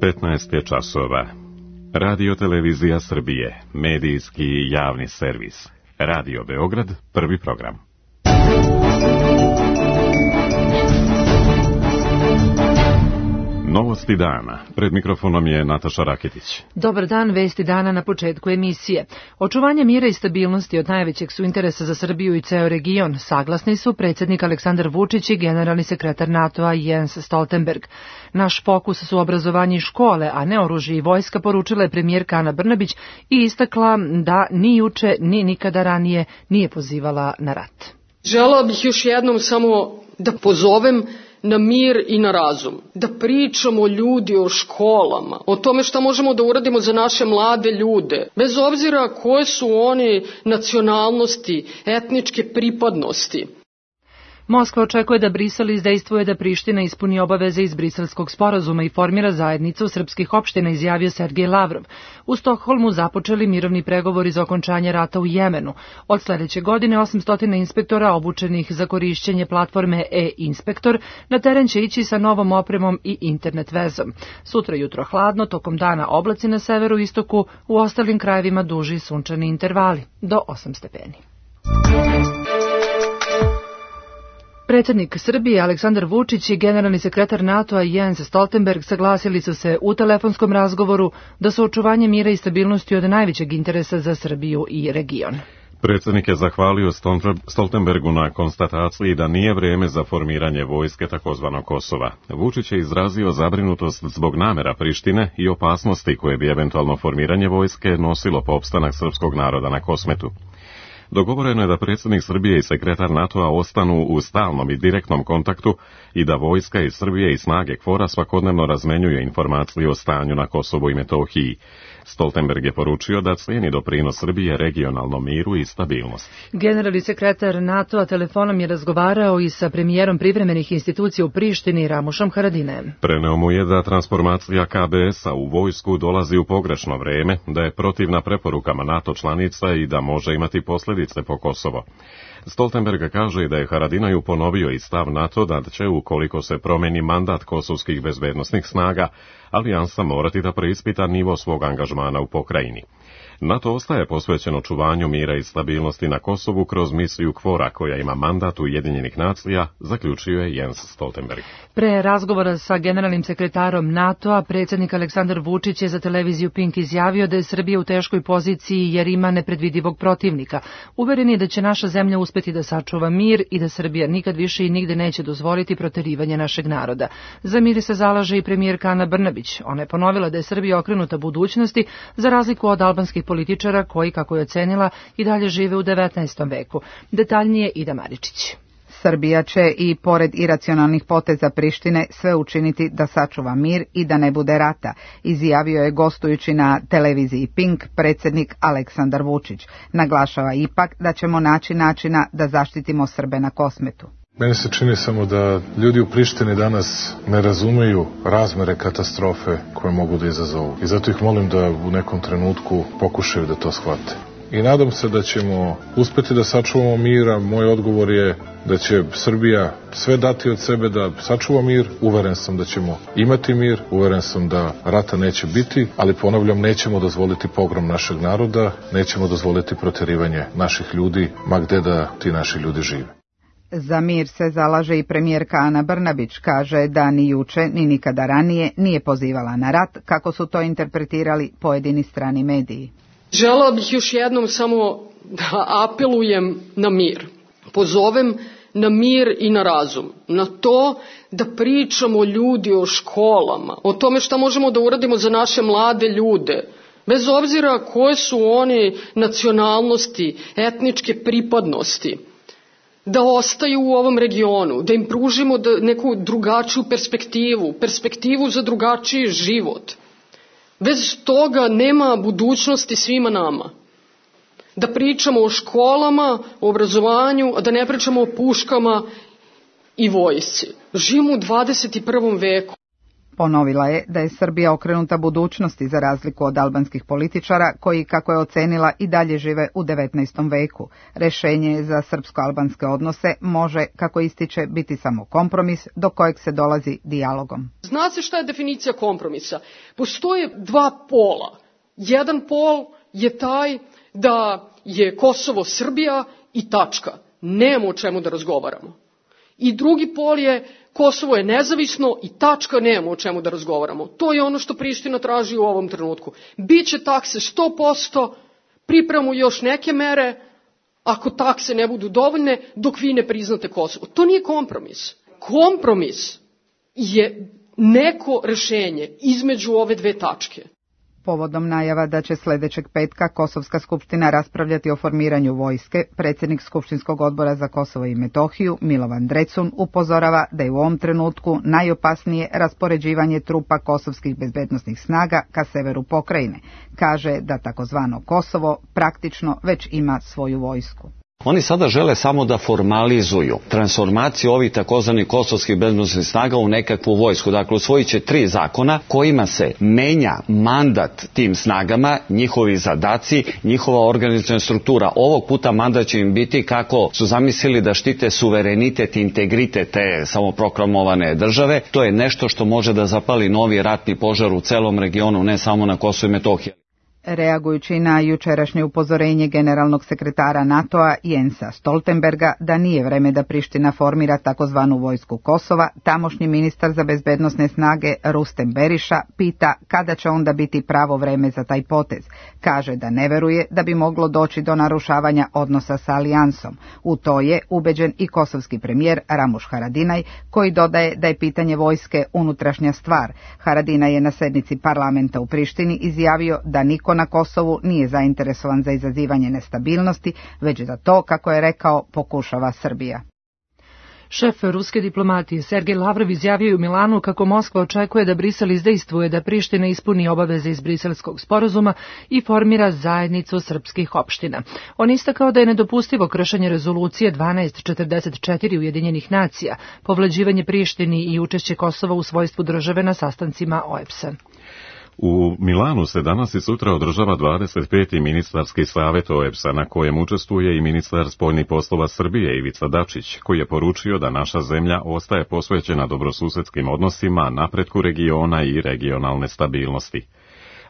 15 je časova. Radio Televizija Srbije, medijski i javni servis. Radio Beograd, prvi program. Novosti dana. Pred mikrofonom je Nataša Raketić. Dobar dan, vesti dana na početku emisije. Očuvanje mira i stabilnosti od najvećeg su interesa za Srbiju i ceo region. Saglasni su predsjednik Aleksandar Vučić i generalni sekretar NATO-a Jens Stoltenberg. Naš fokus su obrazovanje i škole, a ne oružje i vojska, poručila je premijerka Ana Brnabić i istakla da ni juče, ni nikada ranije nije pozivala na rat. Želeo bih još jednom samo da pozovem na mir i na razum. Da pričamo ljudi o školama, o tome šta možemo da uradimo za naše mlade ljude, bez obzira koje su oni nacionalnosti, etničke pripadnosti. Moskva očekuje da Brisel izdejstvuje da Priština ispuni obaveze iz Briselskog sporazuma i formira zajednicu srpskih opština, izjavio Sergej Lavrov. U Stokholmu započeli mirovni pregovori za okončanje rata u Jemenu. Od sledeće godine 800 inspektora obučenih za korišćenje platforme e-inspektor na teren će ići sa novom opremom i internet vezom. Sutra jutro hladno, tokom dana oblaci na severu i istoku, u ostalim krajevima duži sunčani intervali, do 8 stepeni. Predsjednik Srbije Aleksandar Vučić i generalni sekretar NATO-a Jens Stoltenberg saglasili su se u telefonskom razgovoru da su očuvanje mira i stabilnosti od najvećeg interesa za Srbiju i region. Predsjednik je zahvalio Stoltenbergu na konstataciji da nije vrijeme za formiranje vojske takozvanog Kosova. Vučić je izrazio zabrinutost zbog namera Prištine i opasnosti koje bi eventualno formiranje vojske nosilo po opstanak srpskog naroda na Kosmetu. Dogovoreno je da predsjednik Srbije i sekretar NATO-a ostanu u stalnom i direktnom kontaktu i da vojska iz Srbije i snage KFOR-a svakodnevno razmenjuju informacije o stanju na Kosovu i Metohiji. Stoltenberg je poručio da cijeni doprinos Srbije regionalnom miru i stabilnosti. Generalni sekretar NATO-a telefonom je razgovarao i sa premijerom privremenih institucija u Prištini Ramušom Haradinajem. Preneo mu je da transformacija KBS-a u vojsku dolazi u pogrešno vrijeme, da je protivna preporukama NATO članica i da može imati posljedice po Kosovo. Stoltenberg kaže da je Haradinaju ponovio i stav NATO da će, ukoliko se promeni mandat kosovskih bezbednosnih snaga, alijansa morati da preispita nivo svog angažmana u pokrajini. NATO ostaje posvećen očuvanju mira i stabilnosti na Kosovu kroz misiju KFOR-a koja ima mandat Ujedinjenih nacija, zaključio je Jens Stoltenberg. Pre razgovora sa generalnim sekretarom NATO-a, predsjednik Aleksandar Vučić je za televiziju Pink izjavio da je Srbija u teškoj poziciji jer ima nepredvidivog protivnika. Uveren je da će naša zemlja uspeti da sačuva mir i da Srbija nikad više i nigde neće dozvoliti proterivanje našeg naroda. Za mir se zalaže i premijerka Ana Brnabić. Ona je ponovila da je Srbija okrenuta budućnosti za razliku od albanskih političara koji, kako je ocenila, i dalje žive u 19. veku. Detaljnije Ida Maričić. Srbija će i pored iracionalnih poteza Prištine sve učiniti da sačuva mir i da ne bude rata, izjavio je gostujući na televiziji Pink predsjednik Aleksandar Vučić. Naglašava ipak da ćemo naći načina da zaštitimo Srbe na Kosmetu. Meni se čini samo da ljudi u Prištini danas ne razumeju razmere katastrofe koje mogu da izazovu. I zato ih molim da u nekom trenutku pokušaju da to shvate. I nadam se da ćemo uspeti da sačuvamo mira. Moj odgovor je da će Srbija sve dati od sebe da sačuva mir. Uveren sam da ćemo imati mir, uveren sam da rata neće biti, ali ponavljam, nećemo dozvoliti pogrom našeg naroda, nećemo dozvoliti proterivanje naših ljudi, ma gde da ti naši ljudi žive. Za mir se zalaže i premijerka Ana Brnabić, kaže da ni juče ni nikada ranije nije pozivala na rat, kako su to interpretirali pojedini strani mediji. Želeo bih još jednom samo da apelujem na mir. Pozovem na mir i na razum. Na to da pričamo ljudi o školama, o tome šta možemo da uradimo za naše mlade ljude, bez obzira koje su oni nacionalnosti, etničke pripadnosti. Da ostaju u ovom regionu, da im pružimo neku drugačiju perspektivu za drugačiji život. Bez toga nema budućnosti svima nama. Da pričamo o školama, o obrazovanju, a da ne pričamo o puškama i vojsci. Živimo u 21. veku. Ponovila je da je Srbija okrenuta budućnosti za razliku od albanskih političara koji, kako je ocenila, i dalje žive u 19. veku. Rešenje za srpsko-albanske odnose može, kako ističe, biti samo kompromis do kojeg se dolazi dijalogom. Zna se šta je definicija kompromisa. Postoje dva pola. Jedan pol je taj da je Kosovo Srbija i tačka. Nema o čemu da razgovaramo. I drugi pol je Kosovo je nezavisno i tačka, nema o čemu da razgovaramo. To je ono što Priština traži u ovom trenutku. Biće takse 100%, pripremamo još neke mere, ako takse ne budu dovoljne, dok vi ne priznate Kosovo. To nije kompromis. Kompromis je neko rešenje između ove dve tačke. Povodom najava da će sledećeg petka Kosovska skupština raspravljati o formiranju vojske, predsjednik Skupštinskog odbora za Kosovo i Metohiju, Milovan Drecun, upozorava da je u ovom trenutku najopasnije raspoređivanje trupa kosovskih bezbednosnih snaga ka severu pokrajine. Kaže da takozvano Kosovo praktično već ima svoju vojsku. Oni sada žele samo da formalizuju transformaciju ovih takozvanih kosovskih bezbednosnih snaga u nekakvu vojsku. Dakle, usvojit će 3 zakona kojima se menja mandat tim snagama, njihovi zadaci, njihova organizaciona struktura. Ovog puta mandat će im biti kako su zamislili da štite suverenitet i integritet te samoproklamovane države. To je nešto što može da zapali novi ratni požar u celom regionu, ne samo na Kosovu i Metohiji. Reagujući na jučerašnje upozorenje generalnog sekretara NATO-a Jensa Stoltenberga da nije vreme da Priština formira takozvanu vojsku Kosova, tamošnji ministar za bezbednosne snage Rustem Beriša pita kada će onda biti pravo vreme za taj potez. Kaže da ne veruje da bi moglo doći do narušavanja odnosa sa alijansom. U to je ubeđen i kosovski premijer Ramuš Haradinaj, koji dodaje da je pitanje vojske unutrašnja stvar. Haradinaj je na sednici parlamenta u Prištini izjavio da niko na Kosovu nije zainteresovan za izazivanje nestabilnosti, već da to, kako je rekao, pokušava Srbija. Šef ruske diplomatije Sergej Lavrov izjavio je u Milanu kako Moskva očekuje da Brisel izdejstvuje da Priština ispuni obaveze iz Briselskog sporazuma i formira zajednicu srpskih opština. On istakao da je nedopustivo kršenje rezolucije 1244 Ujedinjenih nacija, povlađivanje Prištini i učešće Kosova u svojstvu države na sastancima OEBS-a. U Milanu se danas i sutra održava 25. ministarski savjet OEBS-a na kojem učestvuje i ministar spoljnih poslova Srbije Ivica Dačić, koji je poručio da naša zemlja ostaje posvećena dobrosusedskim odnosima, napretku regiona i regionalne stabilnosti.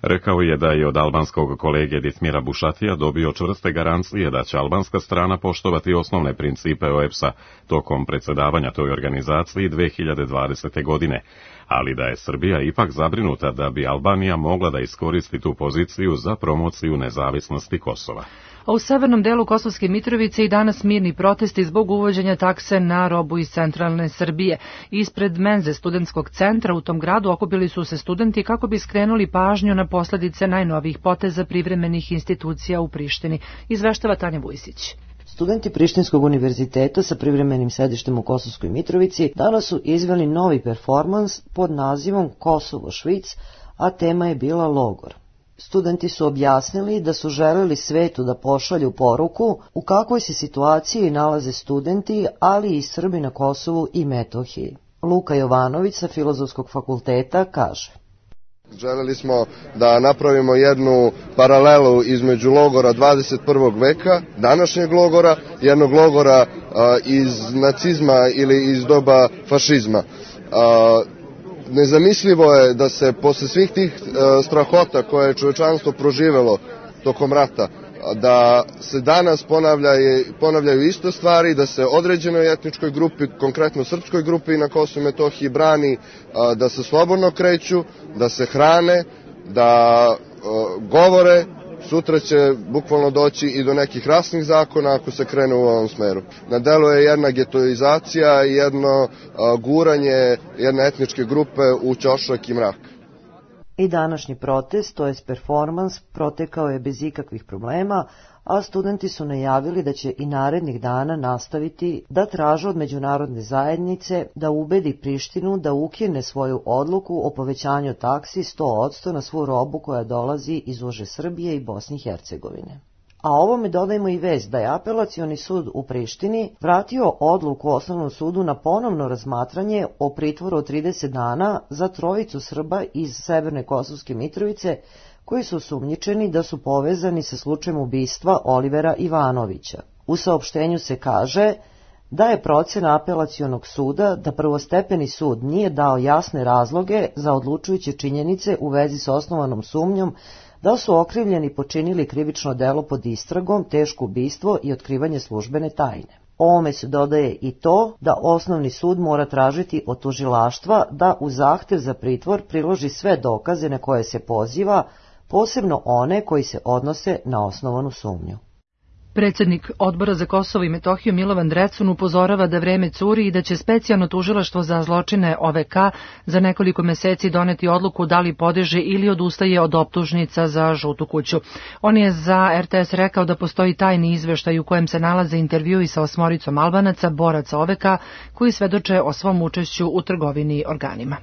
Rekao je da je od albanskog kolege Ditmira Bušatija dobio čvrste garancije da će albanska strana poštovati osnovne principe OEBS-a tokom predsjedavanja toj organizaciji 2020. godine, ali da je Srbija ipak zabrinuta da bi Albanija mogla da iskoristi tu poziciju za promociju nezavisnosti Kosova. A u severnom delu Kosovske Mitrovice i danas mirni protesti zbog uvođenja takse na robu iz centralne Srbije. Ispred menze studentskog centra u tom gradu okupili su se studenti kako bi skrenuli pažnju na posledice najnovijih poteza privremenih institucija u Prištini. Izveštava Tanja Vujsić. Studenti Prištinskog univerziteta sa privremenim sedištem u Kosovskoj Mitrovici danas su izveli novi performans pod nazivom Kosovo Švic, a tema je bila logor. Studenti su objasnili da su želeli svetu da pošalju poruku u kakvoj se situaciji nalaze studenti, ali i Srbi na Kosovu i Metohiji. Luka Jovanović sa Filozofskog fakulteta kaže: Želeli smo da napravimo jednu paralelu između logora 21. veka, današnjeg logora, jednog logora iz nacizma ili iz doba fašizma. Nezamislivo je da se posle svih tih strahota koje je čovečanstvo proživelo tokom rata, da se danas ponavljaju isto stvari, da se određenoj etničkoj grupi, konkretno srpskoj grupi na Kosovu i Metohiji brani da se slobodno kreću, da se hrane, da govore. Sutra će bukvalno doći i do nekih rasnih zakona ako se krene u ovom smeru. Na delu je jedna getoizacija i jedno guranje jedne etničke grupe u ćošak i mrak. I današnji protest, to jest performans, protekao je bez ikakvih problema, a studenti su najavili da će i narednih dana nastaviti da traže od međunarodne zajednice da ubedi Prištinu da ukine svoju odluku o povećanju taksi 100% na svu robu koja dolazi iz uže Srbije i Bosne i Hercegovine. A ovome dodajemo i vest da je Apelacioni sud u Prištini vratio odluku Osnovnom sudu na ponovno razmatranje o pritvoru od 30 dana za trojicu Srba iz Severne Kosovske Mitrovice koji su osumnjičeni da su povezani sa slučajem ubistva Olivera Ivanovića. U saopštenju se kaže da je procena Apelacionog suda da prvostepeni sud nije dao jasne razloge za odlučujuće činjenice u vezi s osnovanom sumnjom da su okrivljeni počinili krivično delo pod istragom, teško ubistvo i otkrivanje službene tajne. Ovome se dodaje i to da osnovni sud mora tražiti od tužilaštva da u zahtev za pritvor priloži sve dokaze na koje se poziva, posebno one koji se odnose na osnovanu sumnju. Predsjednik Odbora za Kosovo i Metohiju Milovan Drecun upozorava da vreme curi i da će specijalno tužilaštvo za zločine OVK za nekoliko meseci doneti odluku da li podiže ili odustaje od optužnica za Žutu kuću. On je za RTS rekao da postoji tajni izveštaj u kojem se nalaze intervjui sa 8 Albanaca, boraca OVK, koji svedoče o svom učešću u trgovini organima.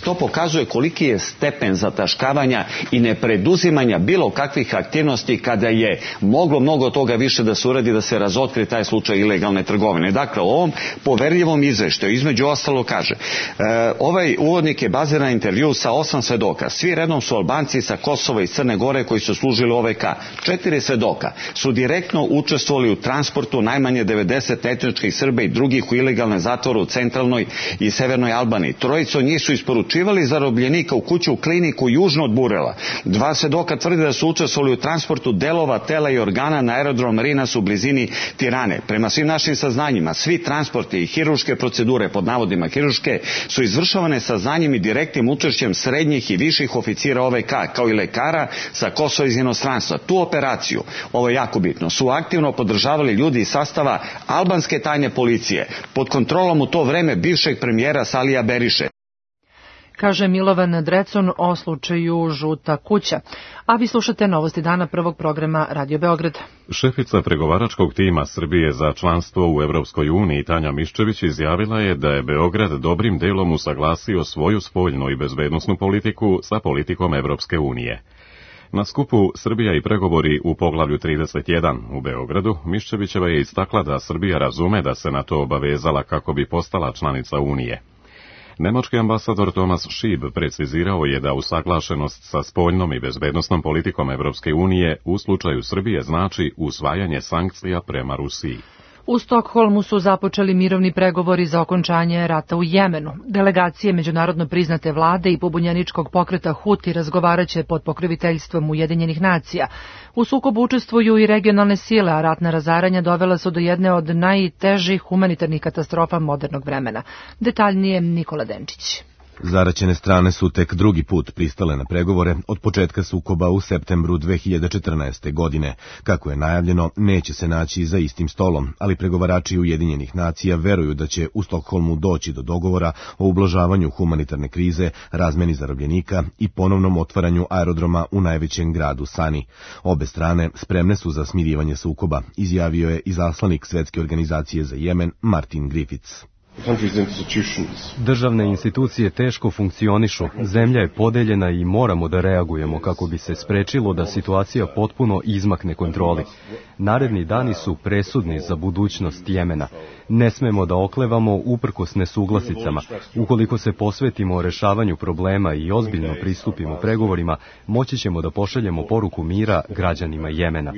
To pokazuje koliki je stepen zataškavanja i nepreduzimanja bilo kakvih aktivnosti kada je moglo mnogo toga više da se uradi da se razotkri taj slučaj ilegalne trgovine. Dakle, u ovom poverljivom izveštaju između ostalo kaže ovaj uvodnik je baziran na intervju sa 8 svedoka. Svi redom su Albanci sa Kosova i Crne Gore koji su služili OVK. 4 svedoka su direktno učestvovali u transportu najmanje 90 etničkih Srba i drugih u ilegalne zatvore u centralnoj i severnoj Albaniji. Trojica od njih su isporučivali zarobljenika u kuću u kliniku južno od Burela. 2 svedoka tvrde da su učestvovali u transportu delova, tela i organa na aerodrom Rinas u blizini Tirane. Prema svim našim saznanjima, svi transporti i hirurške procedure, pod navodima hirurške, su izvršavane sa znanjem i direktnim učešćem srednjih i viših oficira OVK, kao i lekara sa Kosova iz inostranstva. Tu operaciju, ovo je jako bitno, su aktivno podržavali ljudi iz sastava albanske tajne policije, pod kontrolom u to vreme bivšeg premijera Salija Beriše. Kaže Milovan Drecun o slučaju Žuta kuća. A vi slušate novosti dana prvog programa Radio Beograd. Šefica pregovaračkog tima Srbije za članstvo u Evropskoj uniji Tanja Miščević izjavila je da je Beograd dobrim delom usaglasio svoju spoljnu i bezbednosnu politiku sa politikom Evropske unije. Na skupu Srbija i pregovori u poglavlju 31 u Beogradu, Miščevićeva je istakla da Srbija razume da se na to obavezala kako bi postala članica Unije. Nemački ambasador Thomas Schieb precizirao je da usaglašenost sa spoljnom i bezbednosnom politikom Evropske unije u slučaju Srbije znači usvajanje sankcija prema Rusiji. U Stokholmu su započeli mirovni pregovori za okončanje rata u Jemenu. Delegacije međunarodno priznate vlade i pobunjeničkog pokreta Huti razgovaraće pod pokroviteljstvom Ujedinjenih nacija. U sukobu učestvuju i regionalne sile, a ratna razaranja dovela su do jedne od najtežih humanitarnih katastrofa modernog vremena. Detaljnije Nikola Denčić. Zaraćene strane su tek drugi put pristale na pregovore od početka sukoba u septembru 2014. godine. Kako je najavljeno, neće se naći za istim stolom, ali pregovarači Ujedinjenih nacija veruju da će u Stokholmu doći do dogovora o ublažavanju humanitarne krize, razmeni zarobljenika i ponovnom otvaranju aerodroma u najvećem gradu Sani. Obe strane spremne su za smirivanje sukoba, izjavio je izaslanik Svetske organizacije za Jemen Martin Griffiths. Državne institucije teško funkcionišu, zemlja je podeljena i moramo da reagujemo kako bi se sprečilo da situacija potpuno izmakne kontroli. Naredni dani su presudni za budućnost Jemena. Ne smemo da oklevamo uprkos nesuglasicama. Ukoliko se posvetimo rešavanju problema i ozbiljno pristupimo pregovorima, moći ćemo da pošaljemo poruku mira građanima Jemena.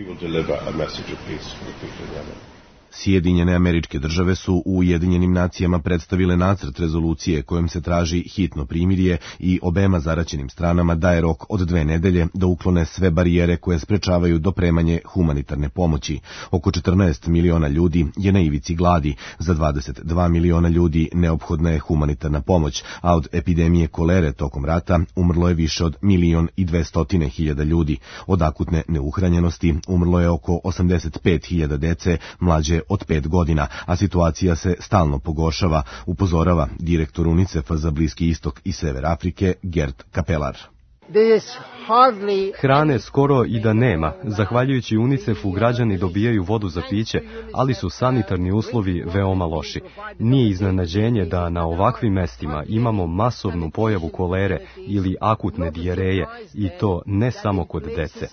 Sjedinjene Američke Države su u Ujedinjenim nacijama predstavile nacrt rezolucije kojom se traži hitno primirje i obema zaraćenim stranama daje rok od 2 nedelje da uklone sve barijere koje sprečavaju dopremanje humanitarne pomoći. Oko 14 miliona ljudi je na ivici gladi, za 22 miliona ljudi neophodna je humanitarna pomoć, a od epidemije kolere tokom rata umrlo je više od 1.200.000 ljudi. Od akutne neuhranjenosti umrlo je oko 85.000 dece mlađe od 5 godina, a situacija se stalno pogoršava, upozorava direktor UNICEF-a za Bliski istok i Sever Afrike Gert Kapelar. Hrane skoro i da nema. Zahvaljujući UNICEF-u građani dobijaju vodu za piće, ali su sanitarni uslovi veoma loši. Nije iznenađenje da na ovakvim mestima imamo masovnu pojavu kolere ili akutne dijareje, i to ne samo kod dece.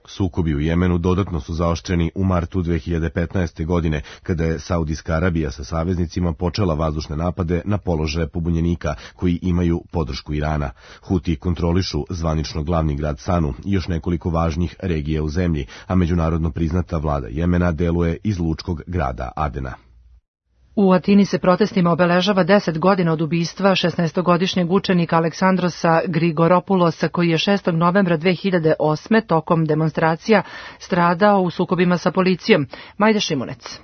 Sukobi u Jemenu dodatno su zaoštreni u martu 2015. godine, kada je Saudijska Arabija sa saveznicima počela vazdušne napade na položaje pobunjenika koji imaju podršku Irana. Huti kontrolišu zvanično glavni grad Sanu i još nekoliko važnih regija u zemlji, a međunarodno priznata vlada Jemena deluje iz lučkog grada Adena. U Atini se protestima obeležava 10 godina od ubistva 16-godišnjeg učenika Aleksandrosa Grigoropulosa, koji je 6. novembra 2008. tokom demonstracija stradao u sukobima sa policijom. Majda Šimunec.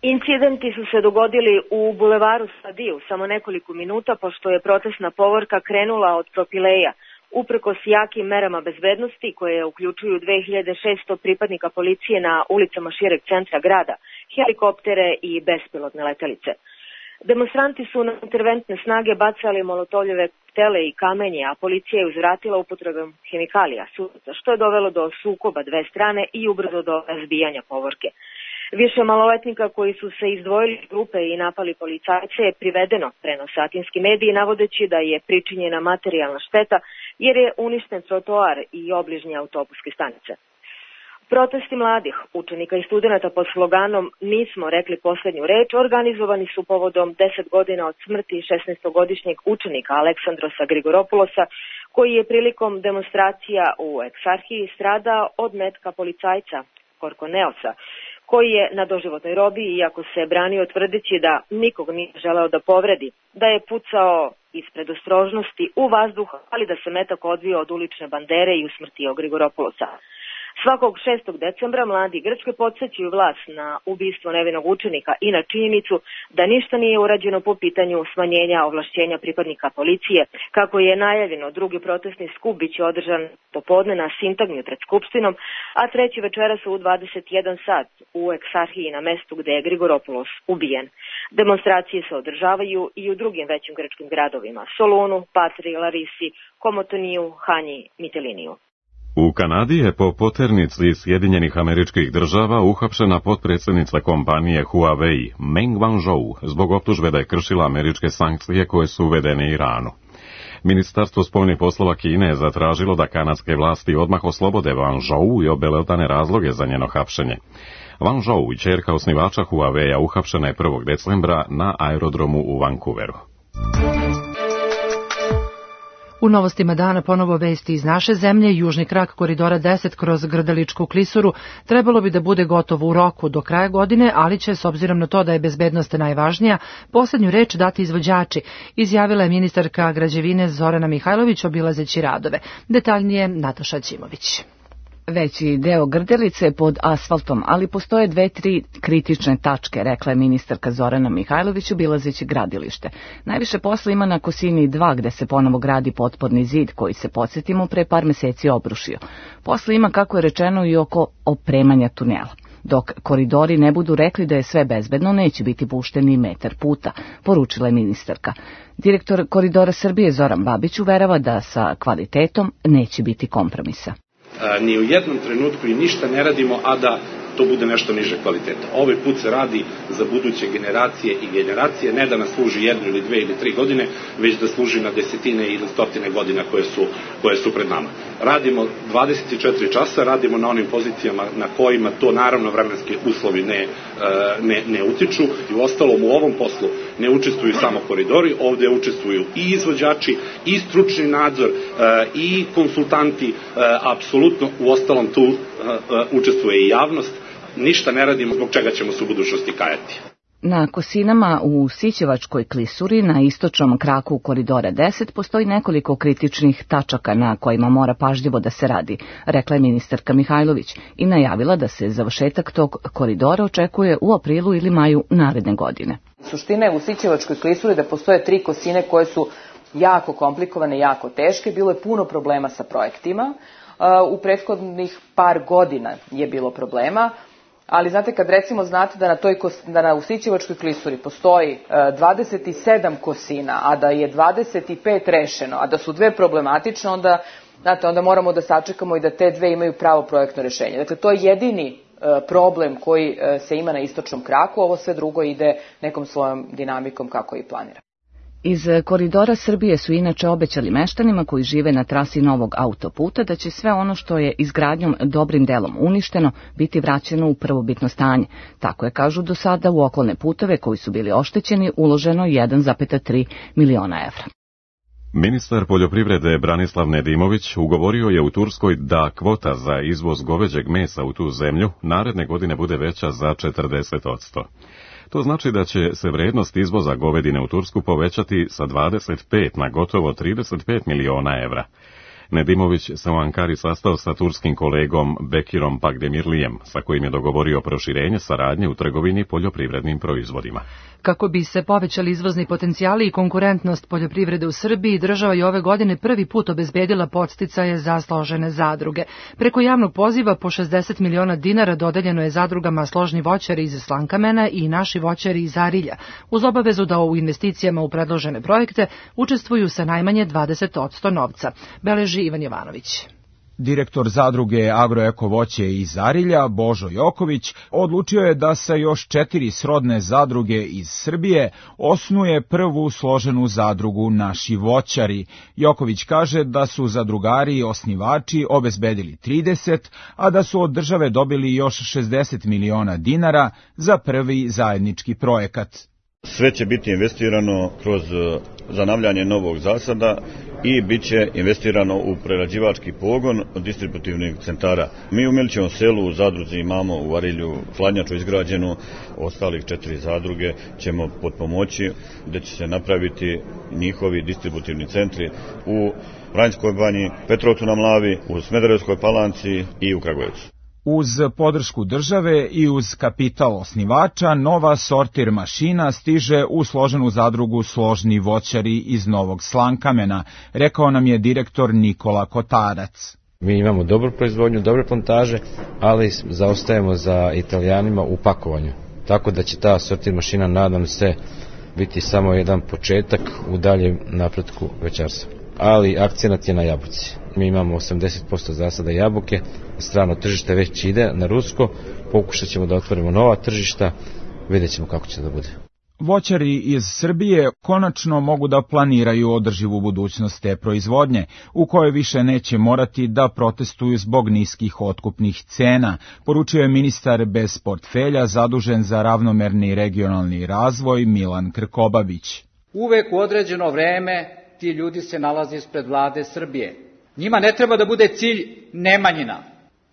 Incidenti su se dogodili u bulevaru Sadiju samo nekoliko minuta, pošto je protestna povorka krenula od Propileja. Uprkos jakim merama bezbednosti, koje uključuju 2600 pripadnika policije na ulicama šireg centra grada, helikoptere i bespilotne letelice. Demonstranti su na interventne snage bacali molotovljeve koktele i kamenje, a policija je uzvratila upotrebom hemikalija, što je dovelo do sukoba dve strane i ubrzo do razbijanja povorke. Više maloletnika koji su se izdvojili iz grupe i napali policajce je privedeno, prenose atinski mediji, navodeći da je pričinjena materijalna šteta jer je uništen trotoar i obližnje autobuske stanice. Protesti mladih, učenika i studenata pod sloganom "Nismo rekli poslednju reč" organizovani su povodom 10 godina od smrti 16-godišnjeg učenika Aleksandrosa Grigoropulosa, koji je prilikom demonstracija u Eksarhiji stradao od metka policajca Korkoneosa, koji je na doživotnoj robiji, iako se branio tvrdeći da nikog nije želeo da povredi, da je pucao iz predostrožnosti u vazduh, ali da se metak odvio od ulične bandere i usmrtio Grigoropulosa. Svakog 6. decembra mladi Grčke podsjećaju vlast na ubistvo nevinog učenika i na činjenicu da ništa nije urađeno po pitanju smanjenja ovlašćenja pripadnika policije. Kako je najavljeno, drugi protestni skup biće održan popodne na Sintagmi pred Skupštinom, a treći večeras u 21 sat u Eksarhiji na mestu gde je Grigoropulos ubijen. Demonstracije se održavaju i u drugim većim grčkim gradovima: Solunu, Patri, Larisi, Komotoniju, Hanji, Mitiliniju. U Kanadi je po poternici Sjedinjenih Američkih Država uhapšena potpredsjednica kompanije Huawei, Meng Wanzhou, zbog optužbe da je kršila američke sankcije koje su uvedene Iranu. Ministarstvo spoljnih poslova Kine je zatražilo da kanadske vlasti odmah oslobode Wanzhou i obelodane razloge za njeno hapšenje. Wanzhou, ćerka osnivača Huawei-a, uhapšena je 1. decembra na aerodromu u Vancouveru. U novostima dana ponovo vesti iz naše zemlje. Južni krak koridora 10 kroz Grdeličku klisuru trebalo bi da bude gotovo u roku do kraja godine, ali će, s obzirom na to da je bezbednost najvažnija, poslednju reč dati izvođači, izjavila je ministarka građevine Zorana Mihajlović obilazeći radove. Detaljnije Nataša Ćimović. Veći deo Grdelice je pod asfaltom, ali postoje 2-3 kritične tačke, rekla je ministarka Zorana Mihajlović obilazeći gradilište. Najviše posla ima na Kosini 2, gde se ponovo gradi potporni zid, koji se, podsjetimo, pre par meseci obrušio. Posla ima, kako je rečeno, i oko opremanja tunela. Dok koridori ne budu rekli da je sve bezbedno, neće biti pušteni metar puta, poručila je ministarka. Direktor Koridora Srbije Zoran Babić uverava da sa kvalitetom neće biti kompromisa. Ni u jednom trenutku i ništa ne radimo, a da to bude nešto niže kvaliteta. Ovaj put se radi za buduće generacije i generacije, ne da nas služi 1 ili 2 ili 3 godine, već da služi na desetine ili stotine godina koje su pred nama. Radimo 24 časa, radimo na onim pozicijama na kojima to naravno vremenski uslovi ne utiču. I u ostalom u ovom poslu ne učestvuju samo koridori, ovde učestvuju i izvođači, i stručni nadzor, i konsultanti, apsolutno u ostalom tu učestvuje i javnost. Ništa ne radimo zbog čega ćemo se u budućnosti kajati. Na Kosinama u Sićevačkoj klisuri na istočnom kraku koridora 10 postoji nekoliko kritičnih tačaka na kojima mora pažljivo da se radi, rekla je ministarka Mihajlović i najavila da se završetak tog koridora očekuje u aprilu ili maju naredne godine. Suština je u Sićevačkoj klisuri da postoje 3 kosine koje su jako komplikovane, jako teške. Bilo je puno problema sa projektima. U prethodnih par godina je bilo problema. Ali znate, kad recimo znate da na Usićevačkoj klisuri postoji 27 kosina, a da je 25 rešeno, a da su 2 problematične, onda moramo da sačekamo i da te 2 imaju pravo projektno rešenje. Dakle, to je jedini problem koji se ima na istočnom kraku, ovo sve drugo ide nekom svojom dinamikom kako i planira. Iz Koridora Srbije su inače obećali meštanima koji žive na trasi novog autoputa da će sve ono što je izgradnjom dobrim delom uništeno biti vraćeno u prvobitno stanje. Tako je, kažu, do sada u okolne puteve koji su bili oštećeni uloženo 1,3 miliona evra. Ministar poljoprivrede Branislav Nedimović ugovorio je u Turskoj da kvota za izvoz goveđeg mesa u tu zemlju naredne godine bude veća za 40%. To znači da će se vrednost izvoza govedine u Tursku povećati sa 25 na gotovo 35 miliona evra. Nedimović se u Ankari sastao sa turskim kolegom Bekirom Pagdemirlijem, sa kojim je dogovorio proširenje saradnje u trgovini poljoprivrednim proizvodima. Kako bi se povećali izvozni potencijali i konkurentnost poljoprivrede u Srbiji, država je ove godine prvi put obezbedila podsticaje za složene zadruge. Preko javnog poziva po 60 miliona dinara dodeljeno je zadrugama Složni voćari iz Slankamena i Naši voćari iz Arilja, uz obavezu da u investicijama u predložene projekte učestvuju sa najmanje 20% novca. Beleži Ivan Jovanović. Direktor zadruge Agroeko voće iz Arilja, Božo Joković, odlučio je da sa još 4 srodne zadruge iz Srbije osnuje prvu složenu zadrugu Naši voćari. Joković kaže da su zadrugari i osnivači obezbedili 30, a da su od države dobili još 60 miliona dinara za prvi zajednički projekat. Sve će biti investirano kroz zanavljanje novog zasada i bit će investirano u prerađivački pogon distributivnih centara. Mi u Milićevom selu u zadruzi imamo u Arilju hladnjaču izgrađenu, ostalih 4 zadruge ćemo potpomoći gde će se napraviti njihovi distributivni centri u Vranjskoj banji, Petrovcu na Mlavi, u Smederevskoj Palanci i u Kragujevcu. Uz podršku države i uz kapital osnivača, nova sortir mašina stiže u složenu zadrugu Složni voćari iz Novog Slankamena, rekao nam je direktor Nikola Kotarac. Mi imamo dobru proizvodnju, dobre plantaže, ali zaostajemo za Italijanima u pakovanju. Tako da će ta sortir mašina, nadam se, biti samo jedan početak u daljem napretku voćarstva. Ali akcenat je na jabuci. Mi imamo 80% zasada jabuke, strano tržište već ide na rusko, pokušat ćemo da otvorimo nova tržišta, vidjet ćemo kako će da bude. Voćari iz Srbije konačno mogu da planiraju održivu budućnost te proizvodnje, u kojoj više neće morati da protestuju zbog niskih otkupnih cena, poručio je ministar bez portfelja zadužen za ravnomerni regionalni razvoj Milan Krkobabić. Uvek u određeno vreme ti ljudi se nalaze ispred vlade Srbije. Njima ne treba da bude cilj Nemanjina.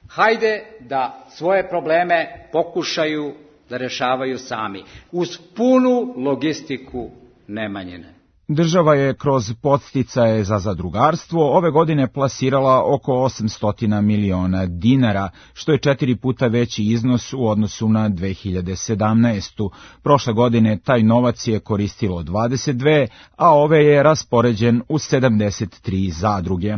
Hajde da svoje probleme pokušaju da rešavaju sami, uz punu logistiku Nemanjine. Država je kroz podsticaje za zadrugarstvo ove godine plasirala oko 800 miliona dinara, što je 4 puta veći iznos u odnosu na 2017. Prošle godine taj novac je koristilo 22, a ove je raspoređen u 73 zadruge.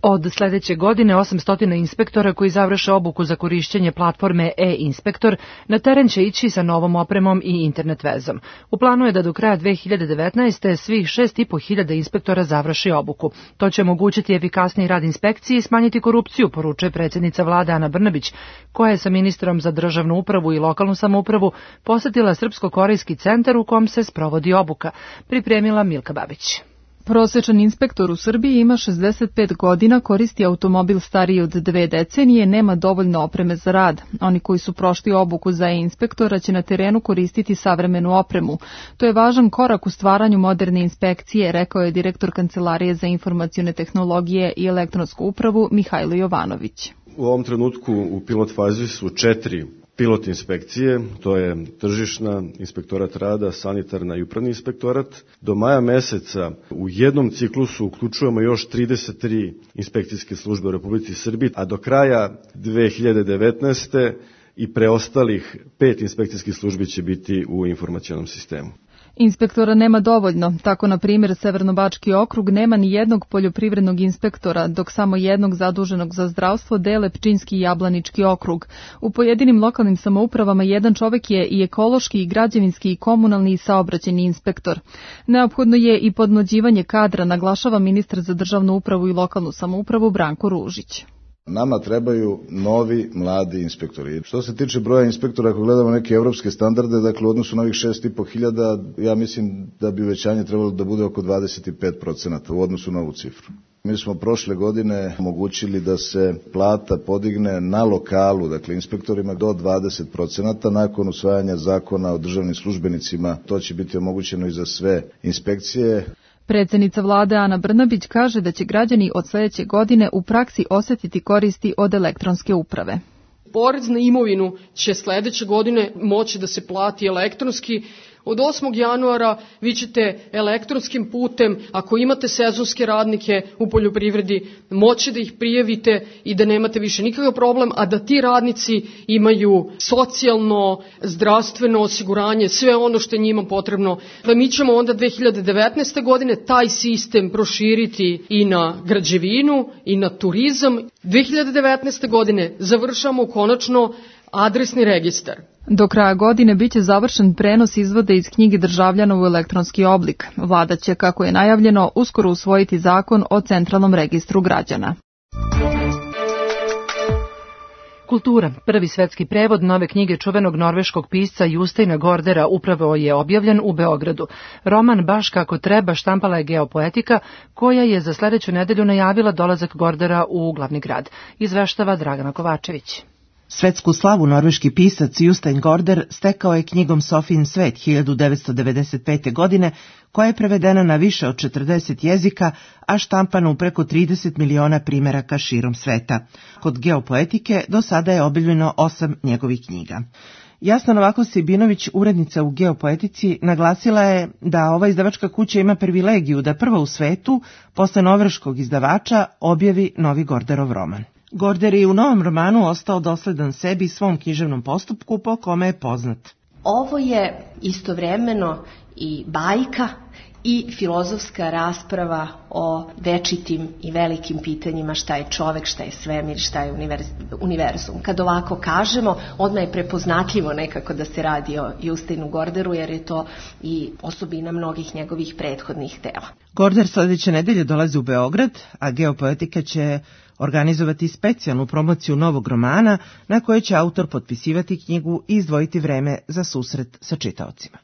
Od sledeće godine 800 inspektora koji završe obuku za korišćenje platforme e-inspektor na teren će ići sa novom opremom i internet vezom. U planu je da do kraja 2019. svih 6.500 inspektora završi obuku. To će omogućiti efikasniji rad inspekcije i smanjiti korupciju, poručuje predsjednica vlade Ana Brnabić, koja je sa ministrom za državnu upravu i lokalnu samoupravu posetila Srpsko-korejski centar u kom se sprovodi obuka. Pripremila Milka Babić. Prosečan inspektor u Srbiji ima 65 godina, koristi automobil stariji od 2 decenije, nema dovoljno opreme za rad. Oni koji su prošli obuku za inspektora će na terenu koristiti savremenu opremu. To je važan korak u stvaranju moderne inspekcije, rekao je direktor Kancelarije za informacione tehnologije i elektronsku upravu Mihajlo Jovanović. U ovom trenutku u pilot fazi su 4 pilot inspekcije, to je tržišna, inspektorat rada, sanitarna i upravni inspektorat. Do maja meseca u jednom ciklusu uključujemo još 33 inspekcijske službe u Republici Srbiji, a do kraja 2019. i preostalih 5 inspekcijskih službi će biti u informacionom sistemu. Inspektora nema dovoljno, tako na primjer Severnobački okrug nema ni jednog poljoprivrednog inspektora, dok samo jednog zaduženog za zdravstvo dele Pčinjski i Jablanički okrug. U pojedinim lokalnim samoupravama jedan čovek je i ekološki, i građevinski, i komunalni, i saobraćajni inspektor. Neophodno je i podmlađivanje kadra, naglašava ministar za državnu upravu i lokalnu samoupravu Branko Ružić. Nama trebaju novi, mladi inspektori. Što se tiče broja inspektora, ako gledamo neke evropske standarde, dakle u odnosu na ovih 6.500, ja mislim da bi uvećanje trebalo da bude oko 25% u odnosu na ovu cifru. Mi smo prošle godine omogućili da se plata podigne na lokalu, dakle inspektorima do 20%, nakon usvajanja zakona o državnim službenicima. To će biti omogućeno i za sve inspekcije. Predsjednica vlade Ana Brnabić kaže da će građani od sljedeće godine u praksi osjetiti koristi od elektronske uprave. Porez na imovinu će sljedeće godine moći da se plati elektronski. Od 8. januara vi ćete elektronskim putem, ako imate sezonske radnike u poljoprivredi, moći da ih prijavite i da nemate više nikakav problem, a da ti radnici imaju socijalno, zdravstveno osiguranje, sve ono što je njima potrebno. Da mi ćemo onda 2019. godine taj sistem proširiti i na građevinu i na turizam. 2019. godine završamo konačno adresni registar. Do kraja godine biće završen prenos izvoda iz knjige državljana u elektronski oblik. Vlada će, kako je najavljeno, uskoro usvojiti zakon o centralnom registru građana. Kultura. Prvi svetski prevod nove knjige čuvenog norveškog pisca Justeina Gordera upravo je objavljen u Beogradu. Roman Baš kako treba štampala je Geopoetika, koja je za sljedeću nedelju najavila dolazak Gordera u glavni grad. Izveštava Dragana Kovačević. Svetsku slavu norveški pisac Justein Gorder stekao je knjigom Sofijin svet 1995. godine, koja je prevedena na više od 40 jezika, a štampana u preko 30 miliona primjeraka širom sveta. Kod Geopoetike do sada je objavljeno 8 njegovih knjiga. Jasna Novaković-Sibinović, urednica u Geopoetici, naglasila je da ova izdavačka kuća ima privilegiju da prva u svetu, posle norveškog izdavača, objavi novi Gorderov roman. Gorder je u novom romanu ostao dosledan sebi i svom književnom postupku po kome je poznat. Ovo je istovremeno i bajka i filozofska rasprava o večitim i velikim pitanjima šta je čovek, šta je svemir, šta je univerzum. Kad ovako kažemo, odmah je prepoznatljivo nekako da se radi o Justeinu Gorderu, jer je to i osobina mnogih njegovih prethodnih dela. Gorder sljedeće nedelje dolazi u Beograd, a Geopoetika će organizovati specijalnu promociju novog romana na kojoj će autor potpisivati knjigu i izdvojiti vreme za susret sa čitaocima.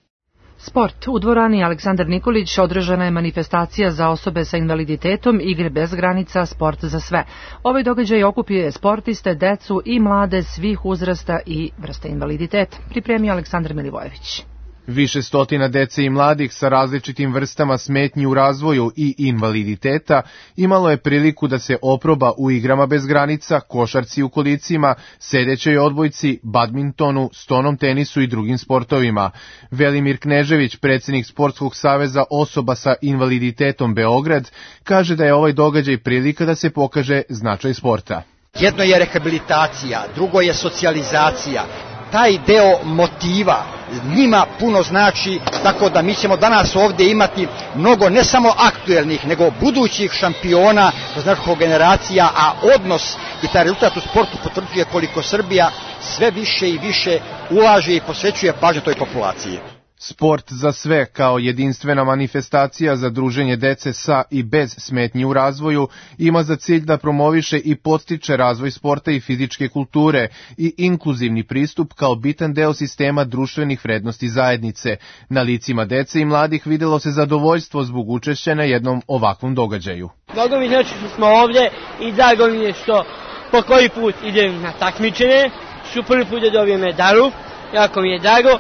Sport. U dvorani Aleksandar Nikolić održana je manifestacija za osobe sa invaliditetom Igre bez granica, sport za sve. Ovaj događaj okupio sportiste, decu i mlade svih uzrasta i vrste invaliditeta. Pripremio Aleksandar Milivojević. Više stotina dece i mladih sa različitim vrstama smetnji u razvoju i invaliditeta imalo je priliku da se oproba u igrama bez granica, košarci u kolicima, sedećoj odbojci, badmintonu, stonom tenisu i drugim sportovima. Velimir Knežević, predsjednik Sportskog saveza osoba sa invaliditetom Beograd, kaže da je ovaj događaj prilika da se pokaže značaj sporta. Jedno je rehabilitacija, drugo je socijalizacija. Taj deo motiva njima puno znači, tako da mi ćemo danas ovdje imati mnogo ne samo aktuelnih, nego budućih šampiona, značkog generacija, a odnos i taj rezultat u sportu potvrđuje koliko Srbija sve više i više ulaže i posvećuje pažnju toj populaciji. Sport za sve kao jedinstvena manifestacija za druženje dece sa i bez smetnji u razvoju ima za cilj da promoviše i podstiče razvoj sporta i fizičke kulture i inkluzivni pristup kao bitan deo sistema društvenih vrednosti zajednice. Na licima dece i mladih videlo se zadovoljstvo zbog učešća na jednom ovakvom događaju. Mnogo mi znači što smo ovdje i drago mi je što po koji put idem na takmičenje, što prvi put da dobijem medalu, jako mi je drago.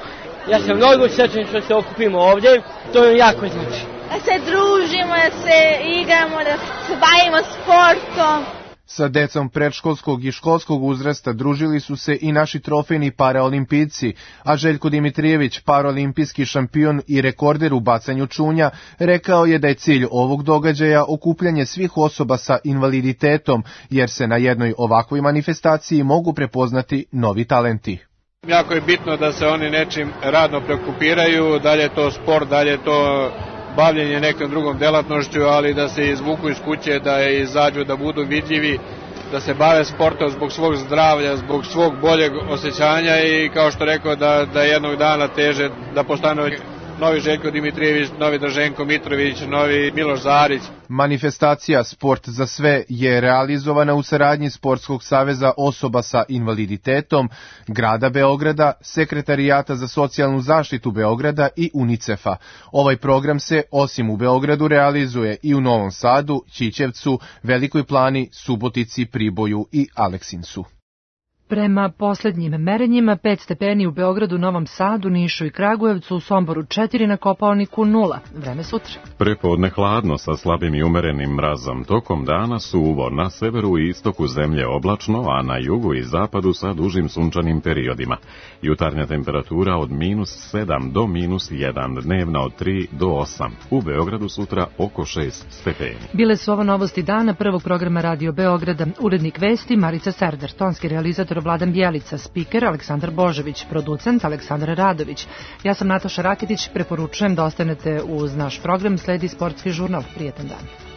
Ja sam mnogo srećan što se okupimo ovdje, to je jako znači. Da se družimo, da se igramo, da se bavimo sportom. Sa decom predškolskog i školskog uzrasta družili su se i naši trofejni paraolimpijci, a Željko Dimitrijević, paraolimpijski šampion i rekorder u bacanju čunja, rekao je da je cilj ovog događaja okupljanje svih osoba sa invaliditetom, jer se na jednoj ovakvoj manifestaciji mogu prepoznati novi talenti. Jako je bitno da se oni nečim radno preokupiraju, da li je to sport, da li je to bavljenje nekom drugom delatnošću, ali da se izvuku iz kuće, da izađu, da budu vidljivi, da se bave sportom zbog svog zdravlja, zbog svog boljeg osjećanja i kao što rekao da jednog dana teže da postanu novi Željko Dimitrijević, novi Draženko Mitrović, novi Miloš Zarić. Manifestacija Sport za sve je realizovana u saradnji Sportskog saveza osoba sa invaliditetom, grada Beograda, Sekretarijata za socijalnu zaštitu Beograda i UNICEF-a. Ovaj program se osim u Beogradu realizuje i u Novom Sadu, Ćićevcu, Velikoj Plani, Subotici, Priboju i Aleksincu. Prema poslednjim merenjima 5 stepeni u Beogradu, Novom Sadu, Nišu i Kragujevcu, u Somboru 4, na Kopaoniku 0. Vreme sutra. Prepodne hladno sa slabim i umerenim mrazom. Tokom dana suvo, na severu i istoku zemlje oblačno, a na jugu i zapadu sa dužim sunčanim periodima. Jutarnja temperatura od -7 do -1, dnevna od 3 do 8. U Beogradu sutra oko 6 stepeni. Bile su ovo novosti dana prvog programa Radio Beograda. Urednik vesti Marica Serder, tonski realizator Vladan Bjelica, spiker Aleksandar Božović, producent Aleksandar Radović. Ja sam Nataša Raketić, preporučujem da ostanete uz naš program, sledi sportski žurnal. Prijetan dan.